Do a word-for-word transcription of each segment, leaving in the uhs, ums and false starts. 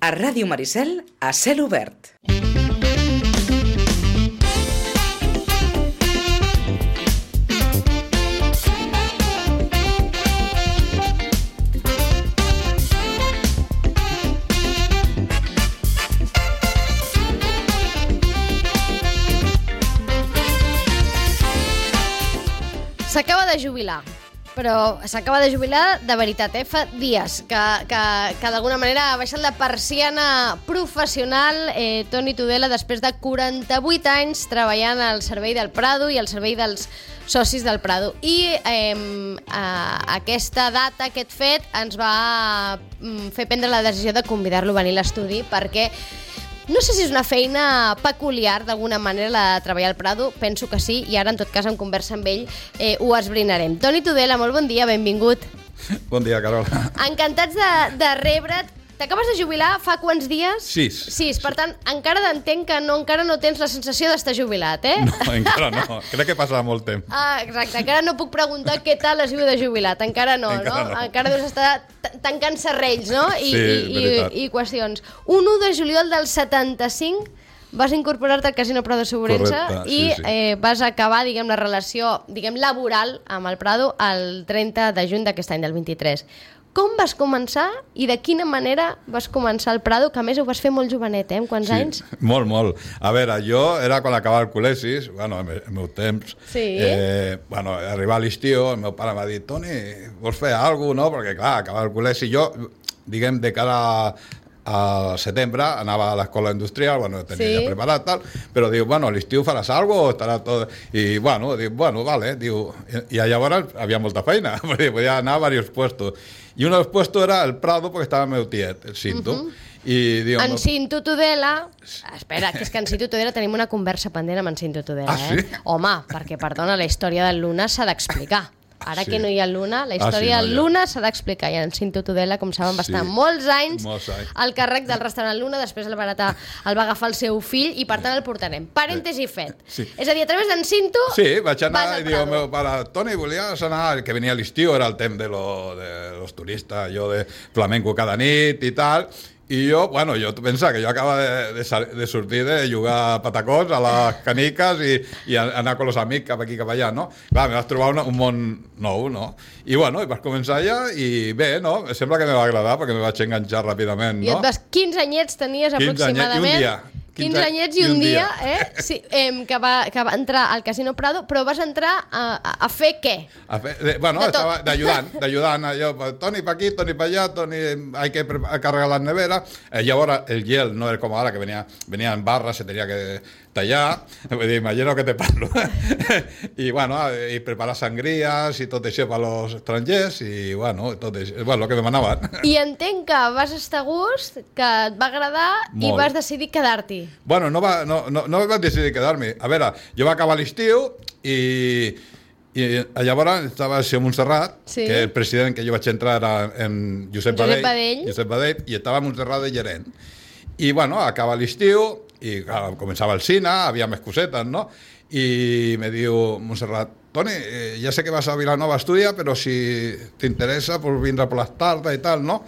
A Ràdio Maricel, a cel obert. S'acaba de jubilar, però s'acaba de jubilar de veritat, eh? Fa dies que, que, que d'alguna manera ha baixat la persiana professional eh, Toni Tudela després de quaranta-vuit anys treballant al servei del Prado i al servei dels socis del Prado. I eh, a, aquesta data, aquest fet, ens va fer prendre la decisió de convidar-lo a venir a l'estudi perquè no sé si és una feina peculiar, d'alguna manera, la de treballar al Prado. Penso que sí, i ara, en tot cas, en conversa amb ell, eh, ho esbrinarem. Toni Tudela, molt bon dia, benvingut. Bon dia, Carola. Encantats de, de rebre't. T'acabes de jubilar fa quants dies? Sis. Sis, per tant, encara entenc que no, encara no tens la sensació d'estar jubilat, eh? No, encara no. Crec que passarà molt temps. Ah, exacte. Encara no puc preguntar què tal has viu de jubilat. Encara no, encara no? no? Encara deus estar tancant serrells, no? I, sí, i, i, i qüestions. un u de juliol del setanta-cinc vas incorporar-te al Casino Prado Segurença. Correcte, i sí, sí. Eh, vas acabar, diguem, la relació, diguem, laboral amb el Prado el trenta de juny d'aquest any, del vint-i-tres. Com vas començar i de quina manera vas començar el Prado, que a més ho vas fer molt jovenet, eh? Amb quants sí, anys? Molt, molt. A veure, jo era quan acabava el col·legi, bueno, en el meu temps, sí. eh, bueno, arribar a l'estiu, el meu pare m'ha dit, Toni, vols fer alguna cosa, no? Perquè, clar, acabava el col·legi, jo, diguem, de cara al setembre anava a l'escola industrial, bueno, tenia sí. ja preparat, tal, però diu, bueno, a l'estiu faràs alguna cosa, estarà tot... I, bueno, diu, bueno, vale, diu... I, i llavors havia molta feina, perquè podia anar a diversos puestos. I un dels puestos era el Prado, perquè estava el meu tiet, el Cinto. Uh -huh. I, diu, en Cinto Tudela... Espera, que és que en Cinto Tudela tenim una conversa pendent amb en Cinto Tudela, ah, sí? eh? Home, perquè, perdona, la història del Luna s'ha d'explicar. Ara sí. que no hi ha Luna, la història ah, sí, no, del Luna s'ha d'explicar. I en Cinto Tudela, com saben, va estar sí. molts anys, molts anys al càrrec del restaurant Luna, després el va, heretar, el va agafar el seu fill i, per tant, el portarem. Parèntesi fet. Sí. És a dir, a través d'en Cinto... Sí, vaig anar i diu, meu pare, Toni, volies anar... Que venia a l'estiu, era el temps de, lo, de los turistes, jo de flamenco cada nit i tal... I jo, bueno, jo pensava que jo acaba de, de, de sortir de jugar a patacons a les caniques i, i anar amb els amics cap aquí, cap allà, no? Clar, me vas trobar una, un món nou, no? I bueno, i vas començar allà i bé, no? Sembla que me va agradar perquè me vaig enganxar ràpidament, no? I et vas, quinze anyets tenies aproximadament? quinze anyets i un dia. quinze anyets i un, un dia, dia, eh? Sí, eh, que, va, que va entrar al Casino Prado, però vas entrar a, a, a fer què? A fer, de, bueno, de estava d'ajudant, d'ajudant, jo, Toni pa aquí, Toni pa allà, Toni, hay que carregar las neveras. Eh, llavors el gel no era com ara, que venia, venia en barra, se tenia que tallar, vull dir, imagino que te parlo. I, bueno, i preparar sangries i tot això per als estrangers, i, bueno, tot això, bueno, el que demanaven. I entenc que vas estar a gust, que et va agradar molt. I vas decidir quedar-t'hi. Bueno, no, va, no, no, no vaig decidir quedar-me. A veure, jo va acabar l'estiu i, i llavors estava a Montserrat, sí. que el president que jo vaig entrar era en Josep, Josep Badell, Badell. Josep Badell, i estava a Montserrat de gerent. I, bueno, acaba l'estiu, i clar, començava el cine, havia més cosetes, no? I me diu Montserrat, Toni, eh, ja sé que vas a Vilanova a estudiar, però si t'interessa, pues vindre per les tardes i tal, no?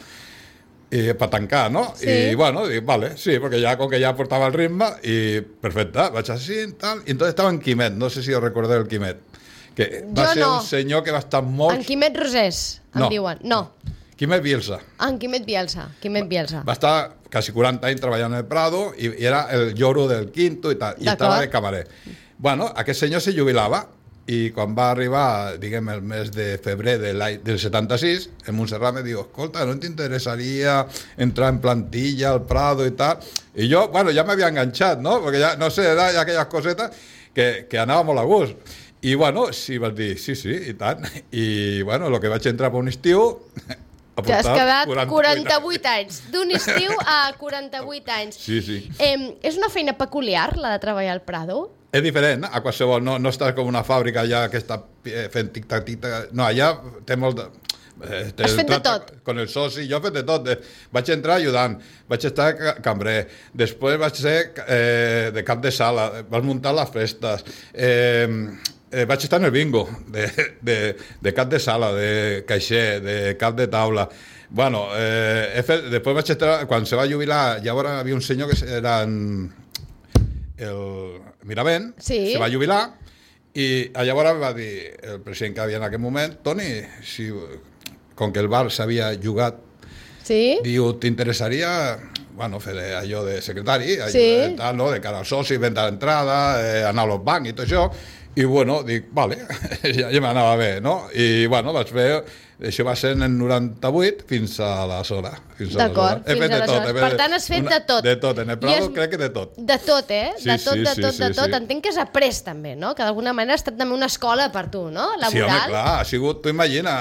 I per tancar, no? Sí. I, bueno, dic, vale, sí, perquè ja, com que ja portava el ritme, i perfecte, vaig així i tal, i entonces estava en Quimet, no sé si us recordeu el Quimet, que va jo ser no. un senyor que va estar molt... En Quimet Rosés, em no. diuen. No. Quimet Bielsa. En Quimet Bielsa, Quimet Bielsa. Va estar quasi quaranta anys treballant en el Prado i, i era el lloro del quinto i tal, i estava de camarer. Bueno, aquest senyor se jubilava i quan va arribar, diguem, el mes de febrer de del setanta-sis, en Montserrat me diu, escolta, no t'interessaria entrar en plantilla al Prado i tal? I jo, bueno, ja m'havia enganxat, no? Perquè ja, no sé, era aquelles cosetes que, que anava molt a gust. I, bueno, sí, vaig dir, sí, sí, i tant. I, bueno, el que vaig entrar per un estiu... Ja has quedat quaranta-vuit anys. D'un estiu a quaranta-vuit anys. Sí, sí. Eh, és una feina peculiar, la de treballar al Prado? És diferent, a qualsevol. No, no estàs com una fàbrica allà que està fent tic-tac, tic-tac. No, allà té molt de... Eh, Has fet de tot? Con el soci, jo he fet de tot. Vaig entrar ajudant, vaig estar cambrer, després vaig ser eh, de cap de sala, vaig muntar les festes, eh, eh, vaig estar en el bingo, de, de, de cap de sala, de caixer, de cap de taula, Bueno, eh, he fet, després vaig estar, quan se va jubilar, llavors hi havia un senyor que era en, el Miravent, sí. se va jubilar, i llavors va dir el president que havia en aquell moment, Toni, si, com que el bar s'havia jugat, sí. diu, t'interessaria bueno, fer allò de secretari, allò sí. de, tal, no? De cara als socis, vendre l'entrada, eh, anar als bancs i tot això, i bueno, dic, vale, ja, ja m'anava bé, no? I bueno, vaig fer, això va ser en el noranta-vuit fins a l'aleshores. D'acord, fins a l'aleshores. Per tant, has fet una, de tot. De tot, en el Prado es... crec que de tot. De tot, eh? Sí, de tot, sí, de sí, tot, sí, de tot. sí. Entenc que has après també, no? Que d'alguna manera ha estat també una escola per tu, no? Laboral. Sí, home, clar, ha sigut, tu imagina,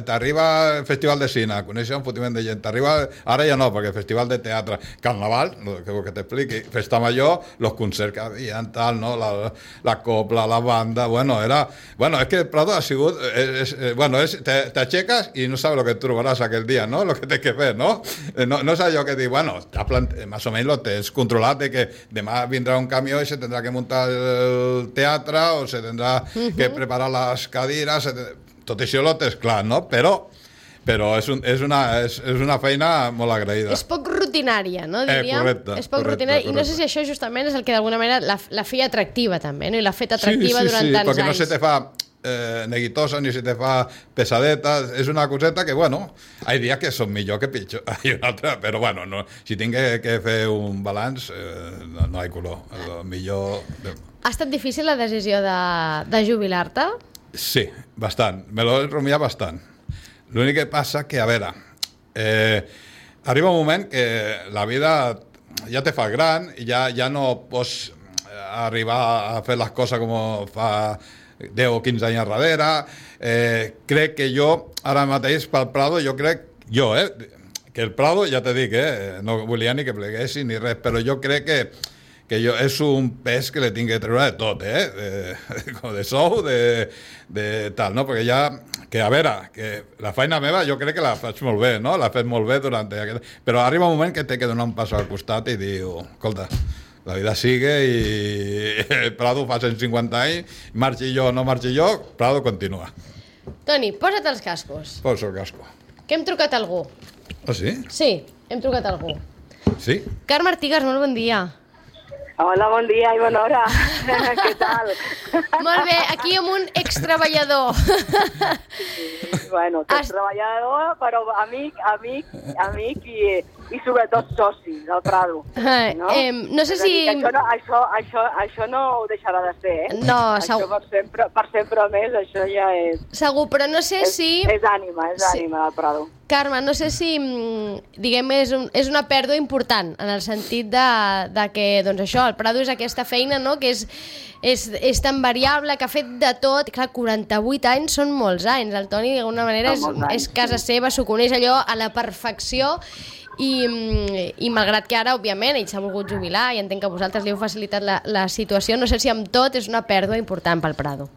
t'arriba el Festival de Cine, coneixes un fotiment de gent, t'arriba, ara ja no, perquè el Festival de Teatre, Carnaval, no, que, que t'expliqui, Festa Major, los concerts que havia, tal, no? La, la copla, la banda, bueno, era... Bueno, es que el Prado ha sigut... Es, es, bueno, es, te, te aixeques i no sabes lo que trobaràs aquell dia, ¿no? Lo que tens que fer, ¿no? No, no és allò que dir, bueno, más o menos lo tens controlat de que demà vindrà un camió i se tendrà que muntar el teatre o se tendrà uh-huh. que preparar les cadires, tot això lo tens clar, no? Però però és, un, és, una, és, és una feina molt agraïda. És poc rutinària, no? Diríem. Eh, correcte. És poc correcte, rutinària, correcte. I no sé si això justament és el que d'alguna manera la, la feia atractiva també, no? I l'ha fet atractiva sí, sí, durant sí, tants perquè anys. no se te fa eh, neguitosa ni se te fa pesadeta, és una coseta que, bueno, hi ha dies que són millor que pitjor, hi una altra, però bueno, no, si tinc que, que fer un balanç, eh, no, no hi ha color, el millor... Ha estat difícil la decisió de, de jubilar-te? Sí, bastant, me l'he rumiat bastant. L'únic que passa que, a veure, eh, arriba un moment que la vida ja te fa gran i ja, ja no pots arribar a fer les coses com fa deu o quinze anys darrere. Eh, crec que jo, ara mateix, pel Prado, jo crec, jo, eh, que el Prado, ja te dic, eh, no volia ni que pleguessi ni res, però jo crec que que jo, és un pes que le tinc que treure de tot, eh? De, com de sou, de, de tal, no? Perquè ja, que a veure, que la feina meva jo crec que la faig molt bé, no? La faig molt bé durant aquest... Però arriba un moment que té que donar un pas al costat i diu, escolta, la vida sigue i Prado fa cent cinquanta anys, marxi jo o no marxi jo, Prado continua. Toni, posa't els cascos. Posa el casco. Que hem trucat algú. Ah, sí? Sí, hem trucat algú. Sí? Carme Artigas, molt bon dia. Hola, bon dia i bona hora. Què tal? Molt bé, aquí amb un extreballador. Sí, bueno, que és treballador, però amic, amic, amic i, i sobretot soci del Prado. No, eh, no sé si... Això no, això, això, això no ho deixarà de ser, eh? No, això segur. per sempre, per sempre més, això ja és... Segur, però no sé és, si... És ànima, és sí. ànima del Prado. Carme, no sé si, diguem, és, un, és una pèrdua important, en el sentit de, de que, doncs això, el Prado és aquesta feina, no?, que és, és, és tan variable, que ha fet de tot. Clar, quaranta-vuit anys són molts anys. El Toni, d'alguna manera, és, és casa seva, s'ho coneix allò a la perfecció, i, i malgrat que ara, òbviament, ell s'ha volgut jubilar, i entenc que vosaltres li heu facilitat la, la situació, no sé si amb tot és una pèrdua important pel Prado.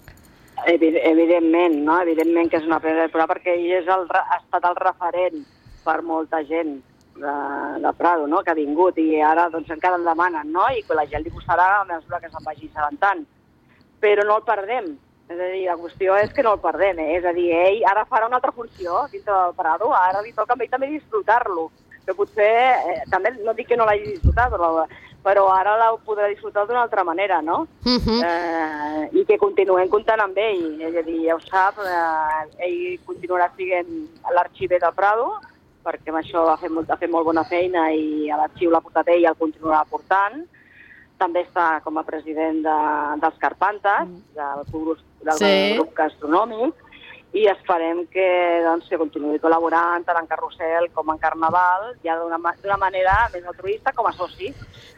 Evidentment, no? Evidentment que és una pèrdua, perquè ell és el, ha estat el referent per molta gent de, de Prado, no?, que ha vingut, i ara doncs encara en demanen, no?, i la gent li posarà a mesura que se'n vagi assabentant. Però no el perdem, és a dir, la qüestió és que no el perdem, eh? És a dir, ell ara farà una altra funció dintre del Prado, ara li toca a ell també disfrutar-lo, que potser, eh, també no dic que no l'hagi disfrutat, però... però ara la podrà disfrutar d'una altra manera, no? Uh-huh. eh, I que continuem comptant amb ell, és a dir, ja ho sap, eh, ell continuarà sent l'arxiver del Prado, perquè amb això ha fet, molt, ha fet molt bona feina i a l'arxiu l'ha portat ell i el continuarà portant. També està com a president de, dels Carpantes, del, grup, del sí. grup gastronòmic, i esperem que, doncs, que continuï col·laborant tant en Carrusel com en Carnaval, ja d'una manera més altruista com a soci.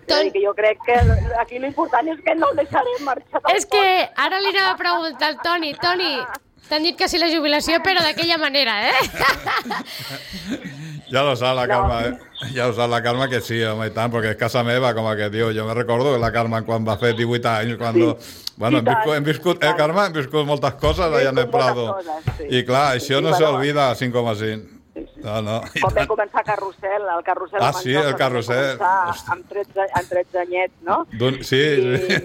Ton... És a dir, que jo crec que aquí l'important és que no el deixarem marxar. És que ara li anava a preguntar al Toni. Toni, t'han dit que sí la jubilació, però d'aquella manera, eh? Ja lo sap la Carme, eh? Ja ho sap la Carme que sí, home, i tant, perquè és casa meva, com que diu. Jo me recordo que la Carme quan va fer divuit anys, quan... Sí. Bueno, hem viscut, hem viscut, eh, Carme? Hem viscut moltes coses allà en el Prado. Coses, sí. I clar, això no s'olvida cinc coma cinc. No, no. Quan vam començar Carrusel, el Carrusel... Ah, sí, el Carrusel. Amb tretze, amb tretze anyets, no? Sí, I, sí.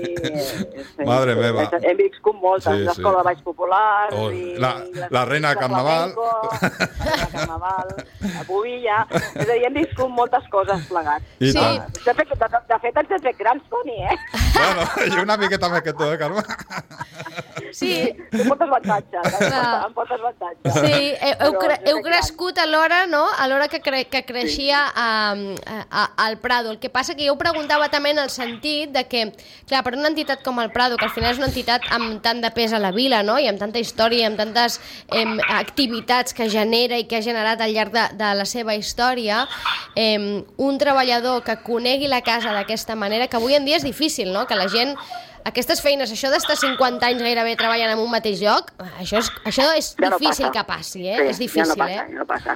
sí. Madre meva. Hem viscut moltes, Sí, sí. l'Escola de Baix Popular... Oh, i la- la Reina de Carnaval. Flamenco, la Reina de Carnaval, la Bovilla... És a dir, hem viscut moltes coses plegats. I Sí. tant. De fet, de, de fet, ens hem fet grans, Toni, eh? Bueno, i una miqueta més que tu, eh, Carme? Sí, Amb moltes avantatges, eh? Clar. amb moltes avantatges. sí, heu, heu, Però cre ens hem heu fet grans. crescut alhora, no?, alhora que, cre que creixia a, a, al Prado. El que passa que jo ho preguntava també en el sentit de que, clar, per una entitat com el Prado, que al final és una entitat amb tant de pes a la vila, no?, i amb tanta història, i amb tantes eh, activitats que genera i que ha generat al llarg de, de la seva història, eh, un treballador que conegui la casa d'aquesta manera, que avui en dia és difícil, no?, que la gent... Aquestes feines, això d'estar cinquanta anys gairebé treballant en un mateix lloc, això és, això és Ja no difícil passa. que passi, eh? Sí, és difícil, ja no passa, eh? ja no passa.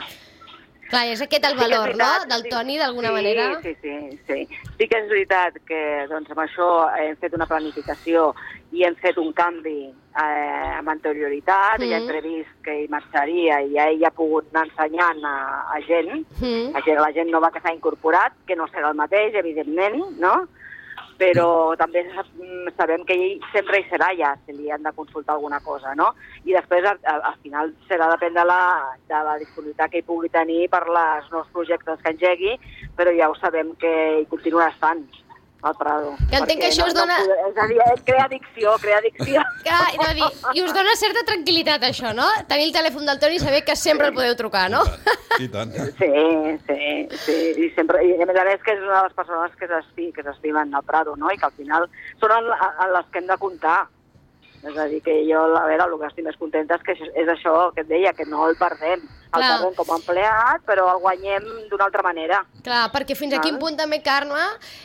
Clar, és aquest el Sí que és valor, veritat, no?, del sí. Toni, d'alguna sí, manera. Sí, sí, sí. Sí que és veritat que doncs, amb això hem fet una planificació i hem fet un canvi eh, amb anterioritat, mm. i hem previst que hi marxaria i ja ell ha pogut anar ensenyant a, a gent, Mm. a gent, la gent nova que s'ha incorporat, que no serà el mateix, evidentment, no?, però també sabem que ell sempre hi serà ja, si li han de consultar alguna cosa, no? I després, al, al final, serà depèn de la, de la disponibilitat que hi pugui tenir per els nous projectes que engegui, però ja ho sabem que hi continuarà estant, al Prado. Que entenc que Perquè això us dona- No, és a dir, crea addicció, crea addicció. Clar, no, dir, I us dona certa tranquil·litat, això, no? Tenir el telèfon del Toni i saber que sempre el podeu trucar, no? I tant. Sí, sí, sí, i, sempre, i a més a més que és una de les persones que s'esti- que s'estimen al Prado, no?, i que al final són en, en les que hem de comptar. És a dir, que jo, a veure, el que estic més contenta és que és això que et deia, que no el perdem. El Clar. perdem com a empleat, però el guanyem d'una altra manera. Clar, perquè fins a Val. quin punt també, Carme,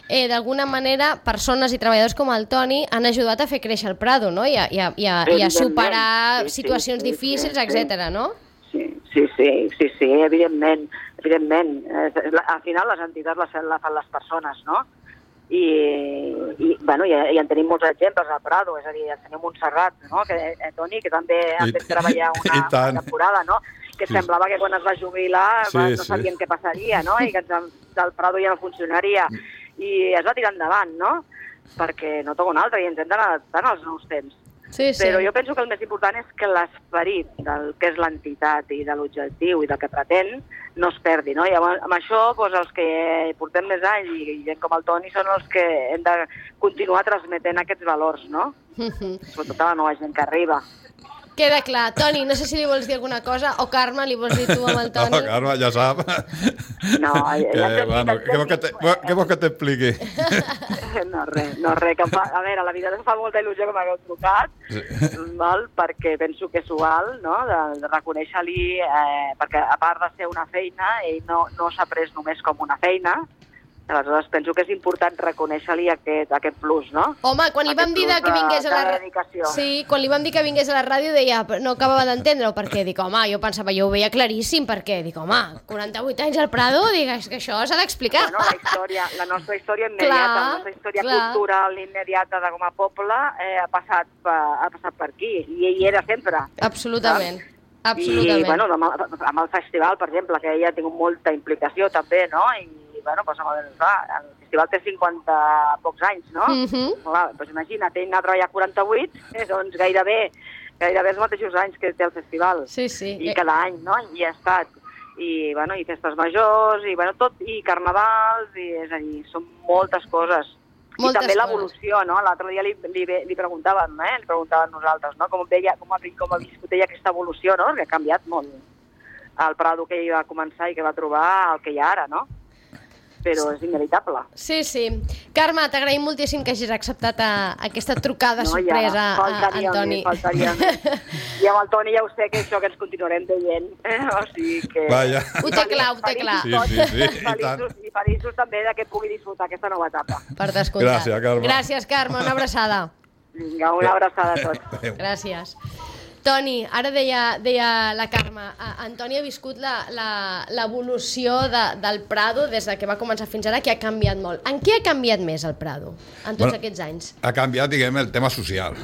eh, d'alguna manera, persones i treballadors com el Toni han ajudat a fer créixer el Prado, no?, i a, i a, i a, i a superar Sí, sí, situacions sí, sí, difícils, sí. etcètera, no? Sí, sí, sí, sí, sí, evidentment, evidentment. Eh, la- Al final les entitats les, les fan les persones, no? I, i, bueno, i, i en tenim molts exemples al Prado, és a dir, el senyor Montserrat, no?, que, eh, Toni, que també ha I fet t- treballar i una, tant. una temporada, no?, que Sí. semblava que quan es va jubilar Sí, va, no sí. sabien què passaria, no?, i que ens, del Prado ja no funcionaria. I es va tirar endavant, no?, perquè no toca un altre i ens hem d'anar adaptant als nous temps. Sí, sí. Però jo penso que el més important és que l'esperit del que és l'entitat i de l'objectiu i del que pretén no es perdi, no? I amb, amb això, doncs, els que portem més anys i, i gent com el Toni són els que hem de continuar transmetent aquests valors, no? Mhm. Sobretot a la nova gent que arriba. Queda clar. Toni, no sé si li vols dir alguna cosa, o Carme, li vols dir tu amb el Toni? No, Carme, ja sap. No, ja- que, ja t'he dit, bueno, ja què vols que t'he te- dit. què vols que t'expliqui? No, res, no, res. Que em fa, a veure, la veritat em fa molta il·lusió que m'hagueu trucat, Sí. val? Perquè penso que és igual, no?, de, de reconèixer-li, eh, perquè a part de ser una feina, ell no, no s'ha pres només com una feina, aleshores penso que és important reconèixer-li aquest, aquest plus, no? Home, quan li vam Aquest dir de plus que vingués a la... de ra- dedicació. Sí, quan li vam dir que vingués a la ràdio deia, "Però no acabava d'entendre-ho, perquè dic, home, jo pensava, jo ho veia claríssim, perquè dic, home, quaranta-vuit anys al Prado, dic, és que això s'ha d'explicar. Bueno, la història, la nostra història immediata, Clar, la nostra història clar. cultural immediata de com a poble eh, ha, passat per, ha passat per aquí, i ell era sempre. Absolutament, I, absolutament. bueno, amb el, amb el festival, per exemple, que ella ha tingut molta implicació també, no? I, bueno, doncs, amb el, clar, el festival té cinquanta pocs anys, no? Mhm. Clar, doncs imagina't, ell anar a treballar quaranta-vuit, eh, doncs gairebé, gairebé els mateixos anys que té el festival. Sí, sí. I cada any, no? I ha estat. I, bueno, i festes majors, i, bueno, tot, i carnavals, i, és a dir, són moltes coses. Moltes I també coses. l'evolució, no? L'altre dia li, li, li preguntàvem, eh? Li preguntàvem nosaltres, no? Com veia, com ha, com ha viscut ella aquesta evolució, no? Perquè ha canviat molt el Prado que ell va començar i que va trobar el que hi ha ara, no? Però és inevitable. Sí, sí. Carme, t'agraïm moltíssim que hagis acceptat a, aquesta trucada sorpresa ja, a faltaria Antoni. més, faltaria més. I amb el Toni ja ho sé, que això que ens continuarem veient. Eh? O sigui que... Vaja. Ho té clar, ho té clar. Sí, sí, sí, i tant. Feliços, i feliços també de que pugui disfrutar aquesta nova etapa. Per descomptat. Gràcies, Carme. Gràcies, Carme. Una abraçada. Vinga, una abraçada a tots. Adéu. Gràcies. Toni, ara deia, deia la Carme, a- Antoni ha viscut la- la- l'evolució de, del Prado des de que va començar fins ara, que ha canviat molt. En què ha canviat més el Prado en tots Bueno, aquests anys? Ha canviat, diguem, el tema social.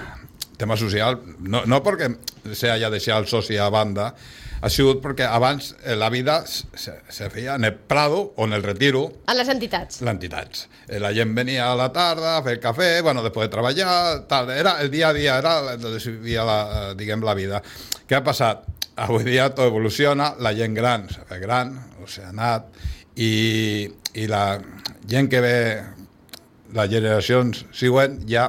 El tema social, no, no perquè se haya deixat el soci a banda, ha sigut perquè abans la vida se, se feia en el Prado o en el Retiro. A les entitats. Les entitats. La gent venia a la tarda a fer cafè, bueno, després de treballar, tal. Era el dia a dia, era donde se vivia la, diguem, la vida. Què ha passat? Avui dia tot evoluciona, la gent gran s'ha fet gran, o s'ha anat, i, i la gent que ve, les generacions següents, ja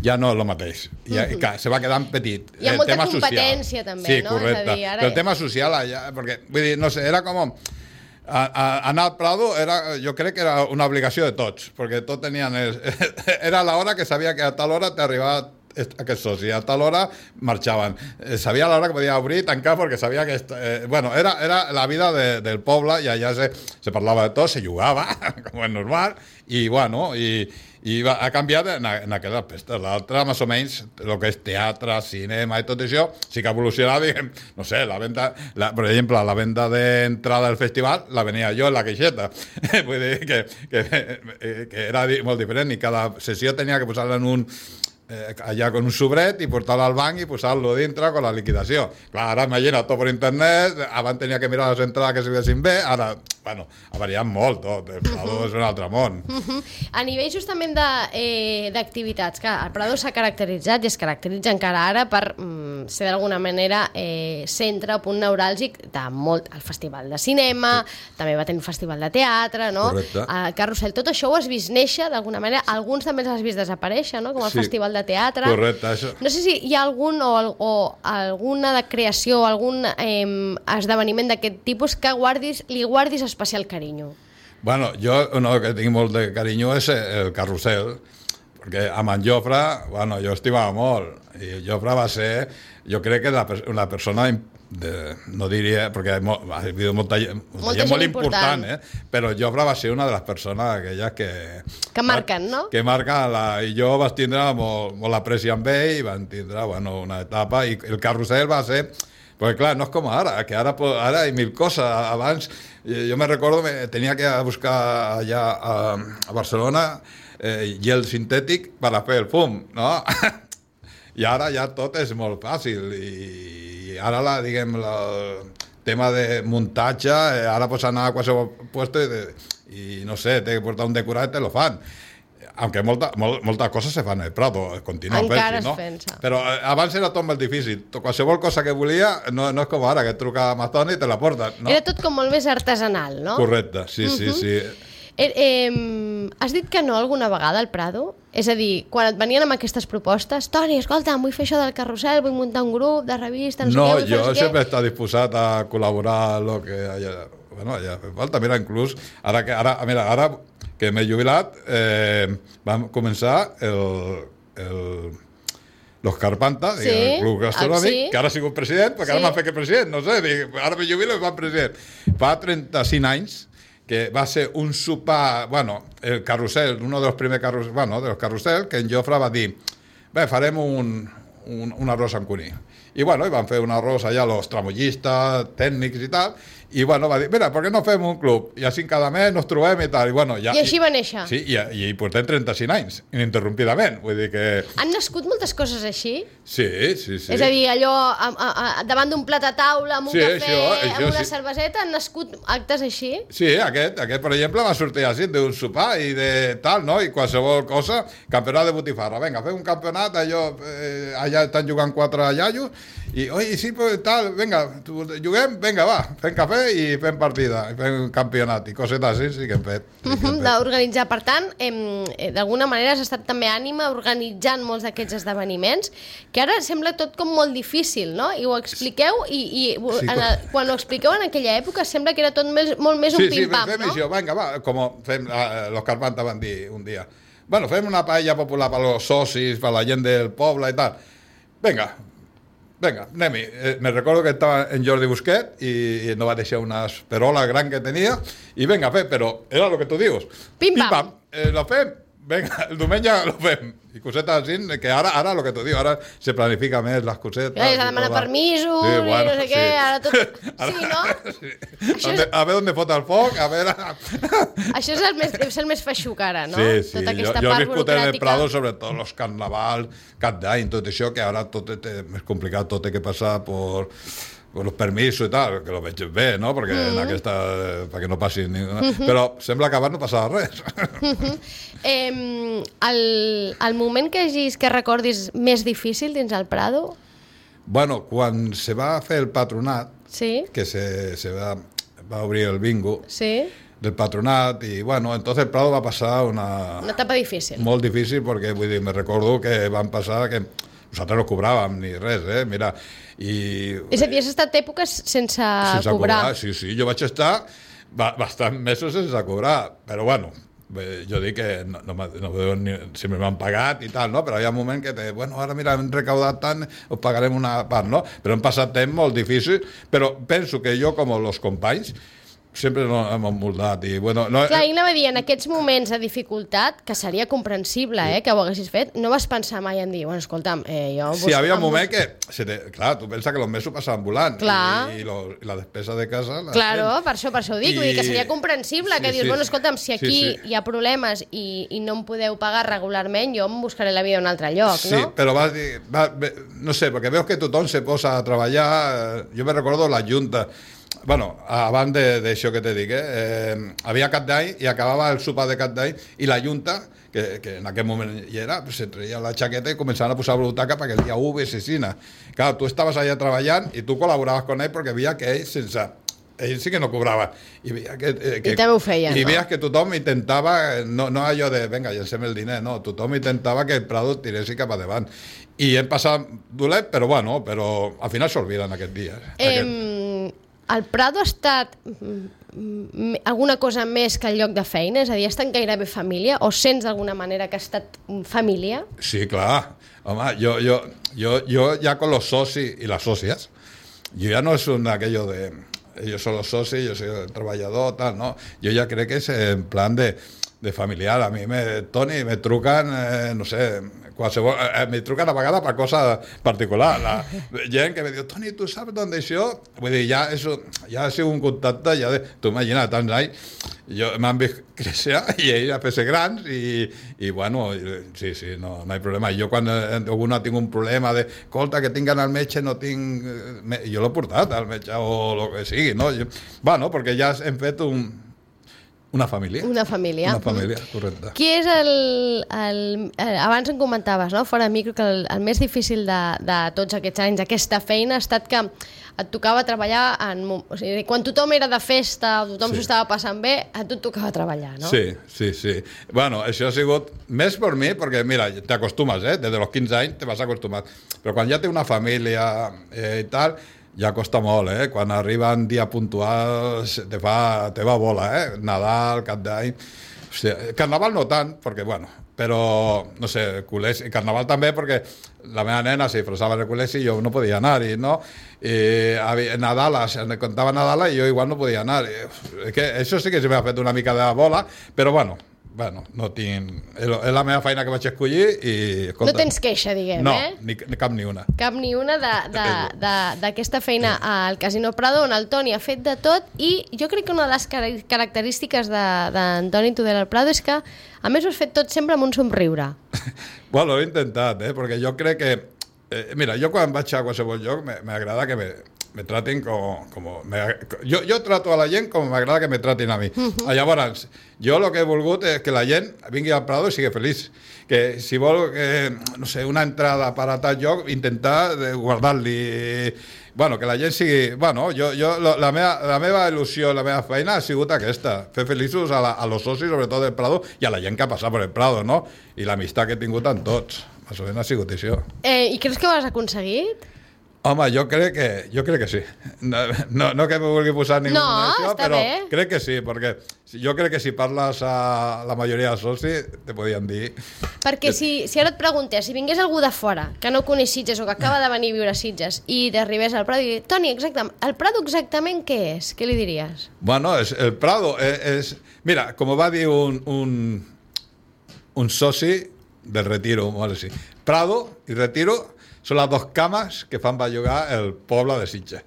ja no és el mateix. Ja, uh -huh. Se va quedant petit. Hi ha el molta tema competència, social. també, sí, no? Correcte. És a dir, ara... Però el tema social, allà, perquè, vull dir, no sé, era com... A, a, anar al Prado era, jo crec que era una obligació de tots, perquè tots tenien... El, era l'hora que sabia que a tal hora t'arribava aquest soci, a tal hora marxaven. Eh, sabia l'hora que podia obrir i tancar perquè sabia que... Eh, bueno, era, era la vida de, del poble i allà se, se parlava de tot, se jugava, com és normal, i bueno, i, i va, ha canviat en, en aquest aspecte. L'altre, més o menys, el que és teatre, cinema i tot això, sí que ha evolucionat, diguem, no sé, la venda, la, per exemple, la venda d'entrada al festival la venia jo en la queixeta. Vull dir que, que, que era molt diferent i cada sessió tenia que posar-la en un Eh, allà con un sobret i portar-lo al banc i posar-lo dintre con la liquidació. Clar, ara imagina tot per internet, abans tenia que mirar les entrades que s'hi bé, ara, bueno, ha variat molt tot, el Prado uh-huh. és un altre món. Uh-huh. A nivell justament d'activitats, eh, que el Prado s'ha caracteritzat i es caracteritza encara ara per mm, ser d'alguna manera eh, centre, punt neuràlgic de molt, el festival de cinema, sí. també va tenir un festival de teatre, no? Correcte. El Carrusel, tot això ho has vist néixer d'alguna manera, alguns també els has vist desaparèixer, no? Com el sí. festival de teatre. Correcte, això. No sé si hi ha algun o, o alguna de creació o algun eh, esdeveniment d'aquest tipus que guardis, li guardis especial carinyo. Bueno, jo uno que tinc molt de carinyo és el Carrusel, perquè amb en Jofre, bueno, jo estimava molt, i Jofre va ser, jo crec que la, una persona de, no diria, perquè ha habido molta, molta, molta gent molt important, eh? Però Jofre va ser una de les persones aquelles que... Que marquen, no? Que marquen, la, i jo vaig tindre molt, molt apreci amb ell, i van tindre, bueno, una etapa, i el Carrusel va ser... Perquè clar, no és com ara, que ara, ara hi ha mil coses. Abans, jo me recordo, me tenia que buscar allà a, a Barcelona eh, gel sintètic per a fer el fum, no? I ara ja tot és molt fàcil, i i ara, la, diguem, la, el tema de muntatge, eh, ara pots anar a qualsevol puesto i, de, i no sé, té que portar un decorat i te lo fan. Aunque molta, molt, moltes coses se fan al Prado, continua encara fent-se, no? Pensa. Però eh, abans era tot molt difícil. Qualsevol cosa que volia no, no és com ara, que truca a Amazon i te la porten, no? Era tot com molt més artesanal, no? Correcte, sí, sí, uh-huh. sí. Eh, eh, has dit que no alguna vegada al Prado? És a dir, quan et venien amb aquestes propostes, Toni, escolta, vull fer això del Carrusel, vull muntar un grup de revista, no, no sé què, jo no sé sempre què. està disposat a col·laborar en el que haya, bueno, haya fet falta. Mira, inclús, ara que, ara, mira, ara que m'he jubilat, eh, vam començar el... el Los Carpanta, sí, el club gastronòmic, sí. Que ara ha sigut president, perquè sí. Ara m'ha fet que president, no sé, dic, ara me jubilo i fa president. Fa trenta-cinc anys, que va ser un sopar, bueno, el Carrusel, uno de los primeros carrusel, bueno, de los Carrusel, que en Jofre va dir, bé, farem un, un, un arròs amb cuní. I bueno, i van fer un arròs allà, los tramollistes, tècnics i tal, i bueno, va dir, mira, per què no fem un club? I així cada mes nos trobem i tal. I, bueno, ja, I així va néixer. Sí, i, i portem trenta-cinc anys, ininterrompidament. Vull dir que... Han nascut moltes coses així? Sí, sí, sí. És a dir, allò a, a, a, davant d'un plat a taula, amb un sí, cafè, això, això, amb una sí. cerveseta, han nascut actes així? Sí, aquest, aquest per exemple, va sortir així d'un sopar i de tal, no? I qualsevol cosa, campionat de botifarra. Vinga, fem un campionat, allò, eh, allà estan jugant quatre iaios, i, oi, sí, pues, tal, vinga, juguem, vinga, va, fem cafè i fem partida, i fem campionat, i cosetes així sí que hem fet. Sí que hem fet. D'organitzar, per tant, eh, d'alguna manera has estat també ànima organitzant molts d'aquests esdeveniments, que ara sembla tot com molt difícil, no? I ho expliqueu, i, i sí, en el, quan ho expliqueu en aquella època sembla que era tot més, molt més un sí, pim-pam, sí, fem no? Això, vinga, va, com fem, eh, los Carpanta van dir un dia, bueno, fem una paella popular per als socis, per la gent del poble i tal. Vinga, vinga, anem-hi. Eh, me recordo que estava en Jordi Busquet i, i no va deixar una esperola gran que tenia i vinga, fer, però era el que tu dius. Pim-pam. Pim-pam, eh, lo fem, vinga, el diumenge lo fem. I cosetes així, que ara, ara el que tu dius, ara se planifica més les cosetes. Ja, s'ha de demanar permisos sí, bueno, i no sé sí. què, ara tot... Ara, sí, no? Sí. A, és... a veure on fot el foc, a veure... Això és el més, és el més feixuc ara, no? Sí, sí, tota aquesta jo, jo part he viscut en el burocràtica. Prado, sobretot els carnavals, cap d'any, tot això, que ara tot és més complicat, tot té que passar per los permisos i tal, que lo veig bé, no? Perquè mm. en aquesta, perquè no passi ninguna... Mm -hmm. Però sembla que abans no passava res. Mm -hmm. eh, el, el moment que hagis, que recordis més difícil dins el Prado? Bueno, quan se va fer el patronat, sí. que se, se va, va obrir el bingo sí. del patronat, i bueno, entonces el Prado va passar una... Una etapa difícil. Molt difícil, perquè vull dir, me recordo que van passar que nosaltres no cobràvem ni res, eh? Mira, i... És a dir, has estat èpoques sense, sense cobrar. cobrar. Sí, sí, jo vaig estar bastants mesos sense cobrar, però bueno, jo dic que no, no, no ni, si m'han pagat i tal, no? Però hi ha un moment que te, bueno, ara mira, hem recaudat tant, us pagarem una part, no? Però hem passat temps molt difícil, però penso que jo, com els companys, sempre no hem emboldat i bueno... No, clar, i anava a dir, en aquests moments de dificultat, que seria comprensible, eh, que ho haguessis fet, no vas pensar mai en dir, bueno, escolta'm, eh, jo... Sí, hi havia un moment que... Se te, clar, tu pensa que els mesos passaven volant clar. i, i, lo, i la despesa de casa... La claro, fent. per això, per això ho dic, I... vull dir que seria comprensible, sí, que dius, sí, bueno, escolta'm, si aquí sí, sí. hi ha problemes i, i no em podeu pagar regularment, jo em buscaré la vida a un altre lloc, sí, no? Sí, però vas dir... Va, no sé, perquè veus que tothom se posa a treballar... Jo me recordo la Junta... Bueno, abans d'això que te dic, eh, eh, havia Cap d'Any i acabava el sopar de Cap d'Any i la Junta, que, que en aquell moment hi era, pues, se treia la xaqueta i començaven a posar butaca perquè el dia u ve sesina. Clar, tu estaves allà treballant i tu col·laboraves amb ell perquè veia que ell sense... Ell sí que no cobrava. I, veia que, eh, que, I també ho feien, I no? veies que tothom intentava, no, no allò de, venga, llancem el diner, no, tothom intentava que el Prado tiressi cap endavant. I hem passat dolent, però bueno, però al final s'olviden aquests dies. Eh, aquest... El Prado ha estat alguna cosa més que el lloc de feina? És a dir, ha estat gairebé família? O sents d'alguna manera que ha estat família? Sí, clar. Home, jo, jo, jo, jo ja con los socis y las socias, yo ya no es un aquello de ellos son los socios, yo soy el trabajador, tal, no. Yo ya creo que es en plan de, de familiar. A mi, me, Toni, me truquen, eh, no sé, qualsevol, eh, me truquen a vegades per cosa particular. La gent que me diu, Toni, tu saps d'on això? Vull dir, ja, eso, ja ha sigut un contacte, ja de, tu imagina, tants anys, jo m'han vist créixer i ell a fer-se grans i, i bueno, sí, sí, no, no hi ha problema. Jo quan alguna tinc un problema de, escolta, que tinc al metge, no tinc... Jo l'he portat al metge o el que sigui, no? Jo, bueno, perquè ja hem fet un... Una família. Una família. Una família, correcte. Qui és el... el, el abans em comentaves, no?, fora de micro, que el, el més difícil de, de tots aquests anys, aquesta feina, ha estat que et tocava treballar en... O sigui, quan tothom era de festa, tothom s'ho sí. estava passant bé, a tu et tocava treballar, no? Sí, sí, sí. Bueno, això ha sigut més per mi, perquè, mira, t'acostumes, eh? Des dels quinze anys te vas acostumar. Però quan ja té una família eh, i tal... Ja costa molt, eh? Quan arriben dia puntual te fa, te va bola, eh? Nadal, Cap d'Any... Hòstia, Carnaval no tant, perquè, bueno, però, no sé, col·legi... Carnaval també, perquè la meva nena se disfressava en el col·legi i jo no podia anar-hi, no? I Nadal, em contava Nadal i jo igual no podia anar. És que això sí que se m'ha fet una mica de bola, però, bueno, bueno, no tinc... És la meva feina que vaig escollir i... Escolta, no tens queixa, diguem, no, eh? No, ni, cap ni una. Cap ni una d'aquesta feina al Casino Prado, on el Toni ha fet de tot, i jo crec que una de les característiques d'Antoni Tudela al Prado és que, a més, ho has fet tot sempre amb un somriure. Bueno, ho he intentat, eh? Perquè jo crec que... Eh, mira, jo quan vaig a qualsevol lloc m'agrada que me... me traten como... como me, yo, yo trato a la gent com m'agrada que me tratin a mi. Uh-huh. Llavors, jo el que he volgut és que la gent vingui al Prado i sigui feliç. Que si vol, que, no sé, una entrada per a tal lloc, intentar guardar-li... Bueno, que la gent sigui... Bueno, jo, jo, la, meva, la meva il·lusió, la meva feina ha sigut aquesta, fer feliços a, la, a los socis, sobretot del Prado, i a la gent que ha passat per el Prado, no? I l'amistat que he tingut amb tots. Més o menys ha sigut això. Eh, I creus que ho has aconseguit? Home, jo crec que, jo crec que sí. No, no, no que me vulgui posar ningú no, això, però bé. crec que sí, perquè jo crec que si parles a la majoria de socis, te podien dir... Perquè si, si ara et preguntés, si vingués algú de fora, que no coneix Sitges o que acaba de venir a viure a Sitges, i t'arribés al Prado i dir, Toni, exactament, el Prado exactament què és? Què li diries? Bueno, és, el Prado és, és... Mira, com va dir un, un, un soci del Retiro, molt així, Prado i Retiro són les dues cames que fan bellugar el poble de Sitges.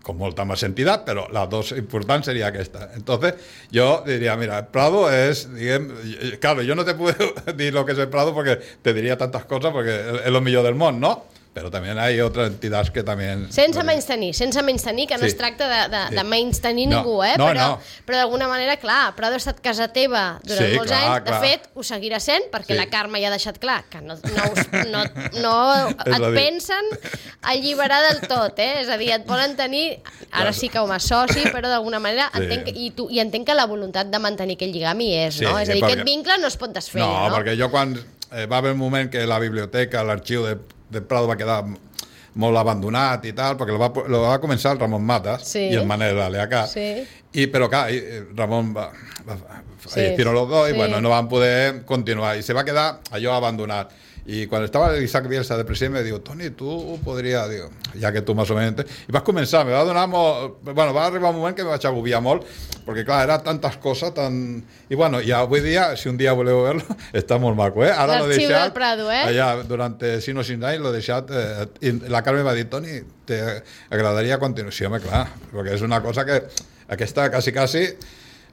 Con molta més entitat, però les dues importants seria aquesta. Entonces, yo diría, mira, el Prado es, digamos, claro, yo no te puedo dir lo que es el Prado porque te diría tantas cosas porque es lo millor del món, ¿no? però també hi ha altres entitats que també... Sense menys tenir, sense menys tenir, que no Sí. es tracta de, de, Sí. de menys tenir No, ningú, eh? no, però no. però d'alguna manera, clar, Prado ha estat casa teva durant Sí, molts clar, anys. clar. De fet, ho seguirà sent, perquè Sí. la Carme ja ha deixat clar que no, no, us, no, no És et a dir- pensen alliberar del tot, eh? És a dir, et volen tenir, ara sí que com a soci, però d'alguna manera, Sí. entenc, i, tu, i entenc que la voluntat de mantenir aquell lligam hi és, Sí, no? És a dir, perquè- aquest vincle no es pot desfer, No, no? perquè jo quan... Eh, va haver un moment que la biblioteca, l'arxiu de, de Prado va quedar molt abandonat i tal, perquè lo va, lo va començar el Ramon Matas Sí. i el Manel Aleacà. Sí. I, però clar, i- Ramon va, va, va Sí, hicieron los dos sí. y bueno, no van poder continuar. Y se va a quedar allò abandonat. Y cuando estaba Isaac Bielsa de presidente, me dijo, Toni, tú podries, digo, ja que tu més o menys... I vas començar, me va donar molt... Bueno, va arribar un moment que me vaig agobiar molt, perquè clar, era tantes coses, tan... I bueno, i avui dia, si un dia voleu verlo, està molt maco, eh? Ara l'he L'arxiu deixat... del Prado, eh? Allà, durant cinc o cinc anys l'he deixat... Eh, I la Carme va dir, Toni, t'agradaria continuació, home, clar, perquè és una cosa que aquesta quasi, quasi...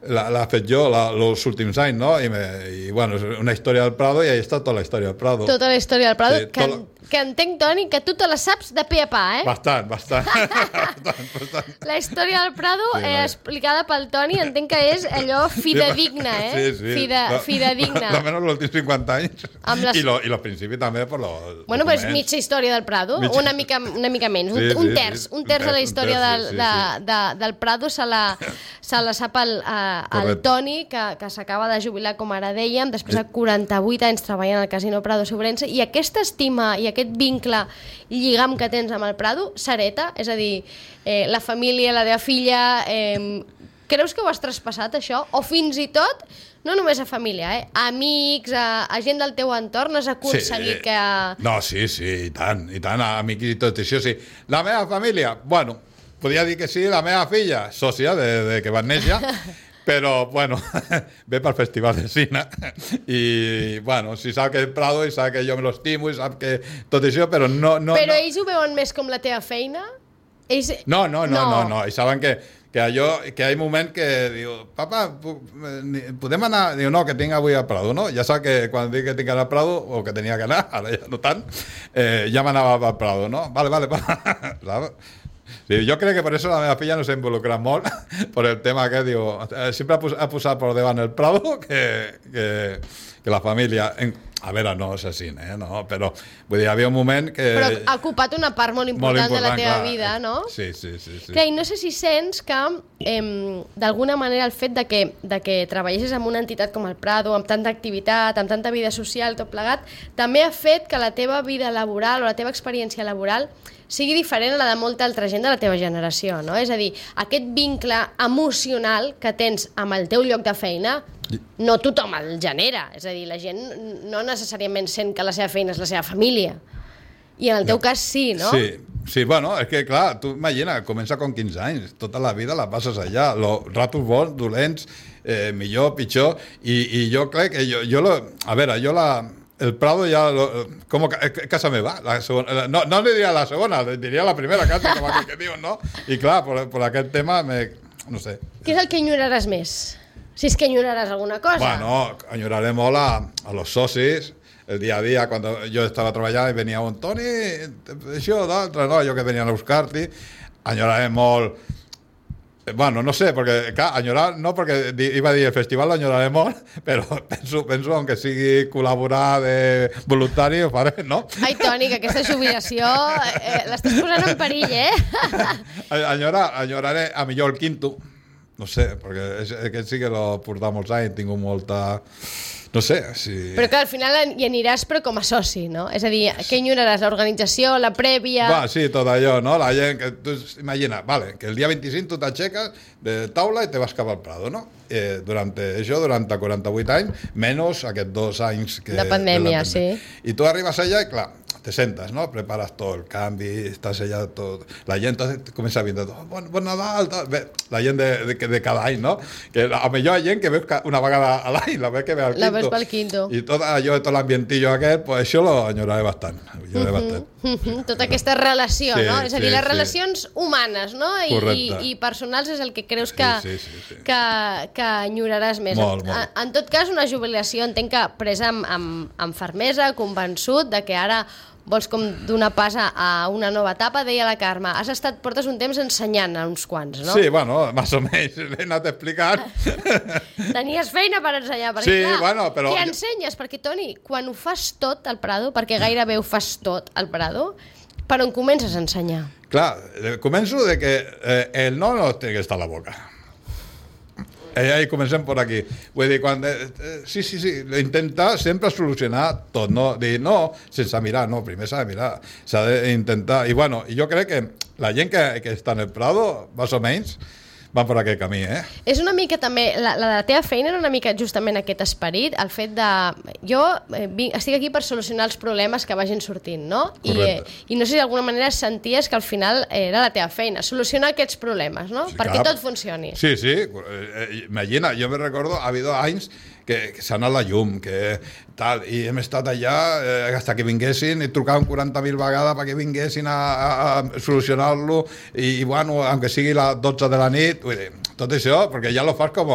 L'ha fet jo els últims anys, no? I, me, i bueno, és una història del Prado i ahí està tota la història del Prado. Tota la història del Prado, Sí, que, tot que entenc, Toni, que tu te la saps de pe a pa, eh? Bastant, bastant. bastant, bastant. La història del Prado, Sí, eh, no. explicada pel Toni, entenc que és allò fidedigna, eh? Sí, sí. Fide, No, fidedigna. Almenys els últims cinquanta anys. Amb les- I, lo, I los principis també per los Bueno, però és documents. mitja història del Prado, Mitja- una mica, una mica menys, un, Sí, sí, un terç, sí. un terç de la Un història terç, del, sí, sí, de, sí. de, del Prado se la, se la sap el, eh, el Correcte. Toni, que, que s'acaba de jubilar, com ara dèiem, després de quaranta-vuit anys treballant al Casino Prado Sobrense, i aquesta estima i aquest vincle lligam que tens amb el Prado s'hereta? És a dir, eh, la família, la teva filla... Eh, creus que ho has traspassat, això? O fins i tot, no només a família, eh? A amics, a, a gent del teu entorn, has aconseguit Sí. que... No, sí, sí, i tant, i tant, amics i tot això, sí. La meva família, bueno, podia dir que sí, la meva filla, sòcia de, de que va néixer, però, bueno, ve pel Festival de Cine i, bueno, si sap que és Prado i sap que jo me l'estimo i sap que tot això, però no... no Però no. ells ho veuen més com la teva feina? Ells... No, no, no, no, no, i saben que, que allò, que hi ha moment que diu, papa, pu- ni- podem anar? Diu, no, que tinc avui al Prado, no? Ja sap que quan dic que tinc que anar al Prado, o que tenia que anar, ara ja no tant, eh, ja m'anava al Prado, no? Vale, vale, vale. Sí, yo creo que por eso la meva filla no se involucra molt por el tema que digo, eh, siempre ha, pos ha posat por davant el Prado que, que, que la família. En, a veure, no és així, eh? No, però vull dir, hi havia un moment que... Però ha ocupat una part molt important, molt de la teva clar. vida, no? Sí, sí, sí. sí. Clar, i no sé si sents que, eh, d'alguna manera, el fet de que, de que treballessis en una entitat com el Prado, amb tanta activitat, amb tanta vida social, tot plegat, també ha fet que la teva vida laboral o la teva experiència laboral sigui diferent a la de molta altra gent de la teva generació, no? És a dir, aquest vincle emocional que tens amb el teu lloc de feina, no tothom el genera. És a dir, la gent no necessàriament sent que la seva feina és la seva família. I en el teu cas sí, no? Sí, sí, bueno, és que clar, tu imagina, comença con quinze anys, tota la vida la passes allà, los ratos bons, dolents, eh, millor, pitjor, i, i jo crec que jo, jo lo, a veure, jo la... El Prado ja, lo, com a casa meva, la segona, no, no li diria la segona, li diria la primera casa, com aquell que diuen, no? I clar, per, per aquest tema, me, no sé. Què és el que enyoraràs més? Si és que enyoraràs alguna cosa. Bueno, enyoraré molt a, a los socis, el día a día, cuando yo estaba trabajando y venía un Toni, això, d'altre, no, jo que venien a buscar-t'hi, enyoraré molt. Bueno, no sé, perquè, clar, enyorar, no, perquè iba a dir el festival l'enyoraré molt, però penso, penso, aunque sigui col·laborar de voluntari, ho faré, no? Ai, Toni, que aquesta jubilació eh, l'estàs posant en perill, eh? Enyorar, enyoraré a millor el quinto, no sé, perquè és, aquest sí que l'ho portat molts anys, tinc molta... No sé, si... Però que al final hi aniràs però com a soci, no? És a dir, què enyoraràs? L'organització, la prèvia... Va, sí, tot allò, no? La gent que... Tu imagina, vale, que el dia vint-i-cinc tu t'aixeques de taula i te vas cap al Prado, no? Eh, durant això, durant quaranta-vuit anys, menys aquests dos anys que... De pandèmia, de la sí. I tu arribes allà i, clar, te sentes, no? Preparas tot el canvi, estàs allà tot... La gent comença a vindre tot, bon, bon Nadal, tal. Bé, la gent de, de, de cada any, no? Que a millor hi ha gent que veus una vegada a l'any, la veus que ve al La quinto. veus pel quinto. I tot allò, tot l'ambientillo aquest, pues això lo enyoraré bastant. Enyoraré Mhm. bastant. Tota aquesta relació, Sí, no? És a dir, sí, les sí. relacions humanes, no? I, i, Correcte. i personals és el que creus que, Sí, sí, sí, sí. que, que enyoraràs més. Molt, en, molt. en tot cas, una jubilació entenc que presa amb, amb, amb fermesa, convençut de que ara vols com donar pas a una nova etapa, deia la Carme. Has estat, portes un temps ensenyant a uns quants, no? Sí, bueno, més o menys, l'he anat explicant. Tenies feina per ensenyar, perquè sí, clar, bueno, però... què ensenyes? Perquè, Toni, quan ho fas tot al Prado, perquè gairebé ho fas tot al Prado, per on comences a ensenyar? Clar, començo de que eh, el no no té que estar a la boca. I ahí comencem per aquí. Vull dir, quan... Eh, sí, sí, sí, intentar sempre solucionar tot, no? Dir, no, sense mirar, no, primer s'ha de mirar, s'ha d'intentar... I bueno, jo crec que la gent que, que està en el Prado, més o menys, van per aquest camí, eh? És una mica també, la, la, la teva feina era una mica justament aquest esperit, el fet de... Jo eh, vinc, estic aquí per solucionar els problemes que vagin sortint, no? I, eh, I no sé si d'alguna manera senties que al final era la teva feina, solucionar aquests problemes, no? Sí, perquè clar. tot funcioni. Sí, sí, eh, imagina, jo me recordo, ha habido anys que, que s'ha anat la llum, que tal, i hem estat allà eh, hasta que vinguessin, i trucaven quaranta mil vegades perquè vinguessin a, a, a solucionar-lo, i, i bueno, aunque sigui les dotze de la nit, vull dir, tot això, perquè ja lo fas com,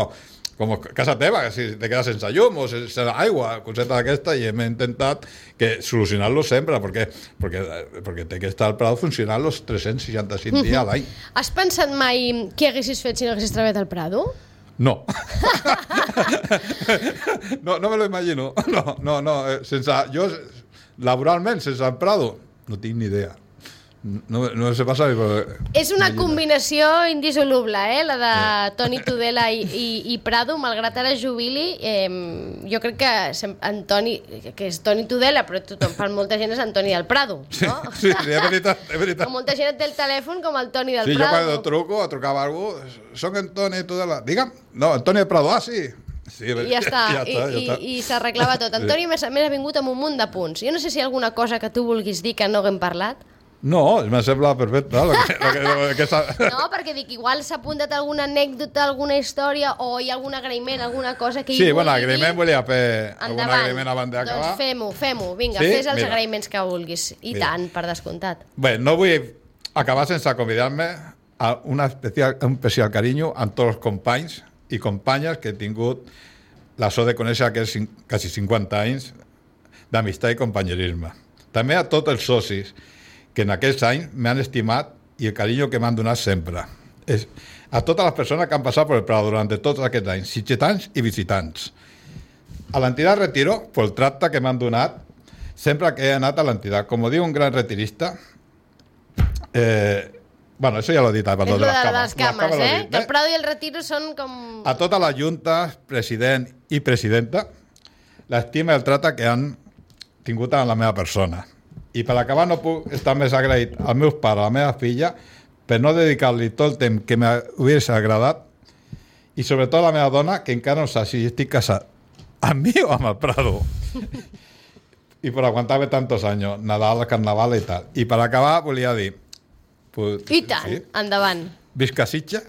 com casa teva, que si te quedes sense llum o sense aigua, coseta d'aquesta, i hem intentat que solucionar-lo sempre, perquè, perquè, perquè té que estar al Prado funcionant els tres-cents seixanta-cinc dies a l'any. Has pensat mai què haguessis fet si no haguessis treballat al Prado? No. no, no me lo imagino. No, no, no. Sense, jo, laboralment, sense el Prado, no tinc ni idea. No, no sé passar... Però... És una combinació indissoluble, eh? La de Toni Tudela i, i, i Prado, malgrat ara jubili. Eh, jo crec que Antoni, que és Toni Tudela, però tothom, per molta gent és Antoni del Prado, no? Sí, sí, sí, és veritat, és veritat. Com molta gent té el telèfon com el Toni del sí, Prado. Sí, jo quan truco, trucava a algú, soc Antoni Tudela. Digue'm, no, Antoni del Prado, ah, sí. Sí, I ja està, ja està, ja està. i, i s'arreglava tot. Antoni més, més ha vingut amb un munt de punts. Jo no sé si hi ha alguna cosa que tu vulguis dir que no haguem parlat. No, me sembla perfecte. Lo que, lo que, lo que no, perquè dic, igual s'ha apuntat alguna anècdota, alguna història, o hi ha algun agraïment, alguna cosa que hi sí, vulgui bueno, agraïment dir. volia fer algun agraïment abans d'acabar. Doncs fem-ho, fem-ho, vinga, sí? fes els Mira. agraïments que vulguis. I Mira. tant, per descomptat. Bé, no vull acabar sense convidar-me a una especial, un especial carinyo amb tots els companys i companyes que he tingut la sort de conèixer aquests quasi cinquanta anys d'amistat i companyerisme. També a tots els socis que en aquests anys m'han estimat i el carinyo que m'han donat sempre. És a totes les persones que han passat per el Prado durant tots aquests anys, sitgetans i visitants. A l'entitat Retiro, pel tracte que m'han donat, sempre que he anat a l'entitat. Com diu un gran retirista, eh, bueno, això ja l'he dit, perdó, és de les de cames. les cames, les cames eh? dit, Que el Prado i el Retiro són com... A tota la Junta, president i presidenta, l'estima i el tracte que han tingut amb la meva persona. I per acabar no puc estar més agraït als meus pares, a la meva filla, per no dedicar-li tot el temps que m'hagués agradat, i sobretot a la meva dona, que encara no sap si estic casat amb mi o amb el Prado. I per aguantar-me tantos anys, Nadal, Carnaval i tal. I per acabar volia dir... Pues, I tant, sí? Endavant. Visca Sitges,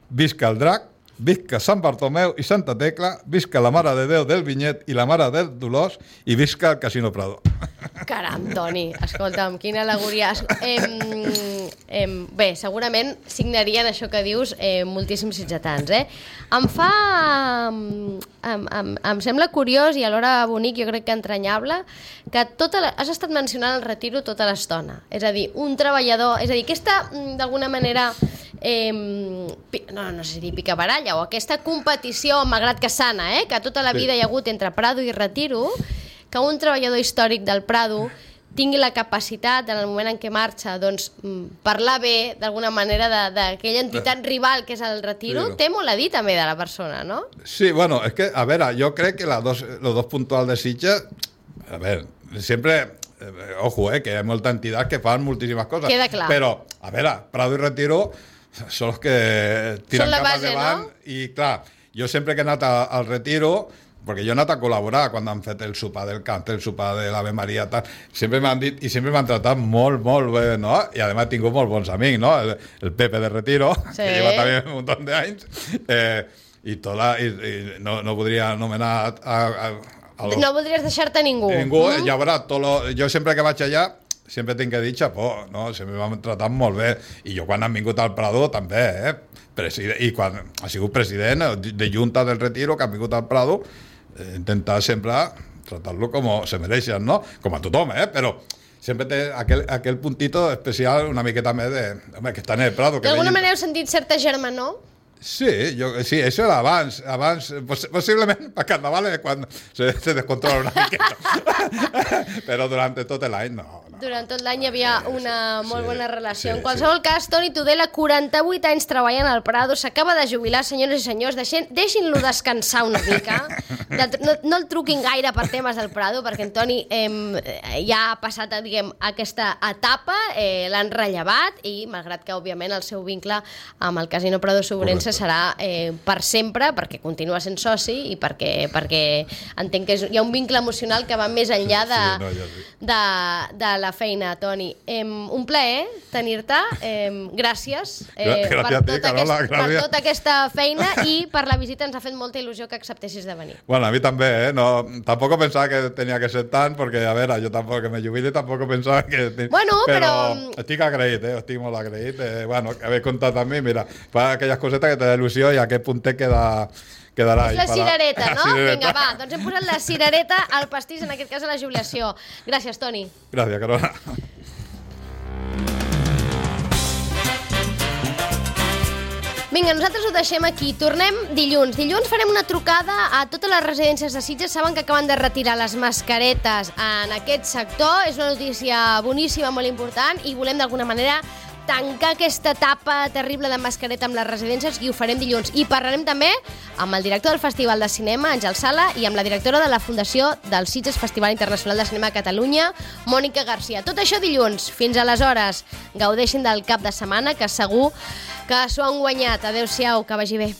visca el Drac, visca Sant Bartomeu i Santa Tecla, visca la Mare de Déu del Vinyet i la Mare del Dolors i visca el Casino Prado. Caram, Toni, escolta'm, quina al·legoria. Em, em, bé, segurament signarien això que dius eh, moltíssims sitgetans, eh? Em fa... Em, em, em sembla curiós i alhora bonic, jo crec que entranyable, que tota la, has estat mencionant el Retiro tota l'estona. És a dir, un treballador... És a dir, aquesta, d'alguna manera... Eh, no, no sé si dir picabaralla o aquesta competició, malgrat que sana, eh, que tota la vida sí. hi ha hagut entre Prado i Retiro, que un treballador històric del Prado tingui la capacitat, en el moment en què marxa, doncs, parlar bé, d'alguna manera, d'aquella entitat rival que és el Retiro, sí, té molt a dir també de la persona, no? Sí, bueno, és que, a veure, jo crec que los dos, los dos puntuals de Sitges, a veure, sempre... Eh, ojo, eh, que hi ha molta entitat que fan moltíssimes coses. Queda clar. Però, a veure, Prado i Retiro són els que tiren cap base, endavant, no? I clar, jo sempre que he anat a, al Retiro, perquè jo he anat a col·laborar quan han fet el sopar del cant, el sopar de l'Ave Maria, tal, sempre m'han dit i sempre m'han tratat molt, molt bé, no? I a més he tingut molts bons amics, no? El, el Pepe de Retiro, sí. que lleva també un munt d'anys, eh, i, tota, i, i no, no podria anomenar a, a, a los... No voldries deixar-te ningú. Ningú, mm? ja veurà, tot lo, jo sempre que vaig allà sempre tinc que dir xapó, no? Sempre m'han tratat molt bé. I jo quan han vingut al Prado també, eh? President, i quan ha sigut president de Junta del Retiro, que han vingut al Prado, eh, intentar sempre tratar-lo com se mereixen, no? Com a tothom, eh? Però sempre té aquell, aquell puntito especial una miqueta més de... Home, que està en el Prado. D'alguna manera heu sentit certa germanor? Sí, yo, sí, eso era abans, abans poss posiblement a Carnaval quan se, se descontrola una miqueta, però durant tot l'any no, no. Durant tot l'any hi havia una molt sí, bona relació. sí, En qualsevol sí. cas, Toni Tudela, quaranta-vuit anys treballant al Prado, s'acaba de jubilar, senyores i senyors, deixin-lo descansar una mica, de, no, no el truquin gaire per temes del Prado, perquè en Toni eh, ja ha passat, diguem, aquesta etapa, eh, l'han rellevat i, malgrat que, òbviament, el seu vincle amb el Casino Prado Sobrense serà eh, per sempre, perquè continua sent soci i perquè, perquè entenc que és, hi ha un vincle emocional que va més enllà de, sí, no, ja sí. de, de la feina, Toni. Eh, un plaer tenir-te. Eh, gràcies, eh, gràcies per, a ti, tota Carola, aquest, per tota aquesta feina i per la visita. Ens ha fet molta il·lusió que acceptessis de venir. Bueno, a mi també, eh? No, tampoco pensaba que tenía que ser tant, perquè, a veure, jo tampoc que me jubile, tampoc pensava que... Bueno, però... però... Estic agraït, eh? Estic molt agraït. Eh, bueno, haver comptat amb mi, mira, fa aquelles cosetes que te da il·lusió i a aquest puntet queda... quedarà és la cirereta, no? Cirereta. Vinga, va, doncs hem posat la cirereta al pastís, en aquest cas a la jubilació. Gràcies, Toni. Gràcies, Carola. Vinga, nosaltres ho deixem aquí. Tornem dilluns. Dilluns farem una trucada a totes les residències de Sitges. Saben que acaben de retirar les mascaretes en aquest sector. És una notícia boníssima, molt important, i volem d'alguna manera tancar aquesta etapa terrible de mascareta amb les residències, i ho farem dilluns. I parlarem també amb el director del Festival de Cinema, Àngel Sala, i amb la directora de la Fundació del Sitges Festival Internacional de Cinema a Catalunya, Mònica Garcia. Tot això dilluns. Fins aleshores, gaudeixin del cap de setmana, que segur que s'ho han guanyat. Adéu-siau, que vagi bé.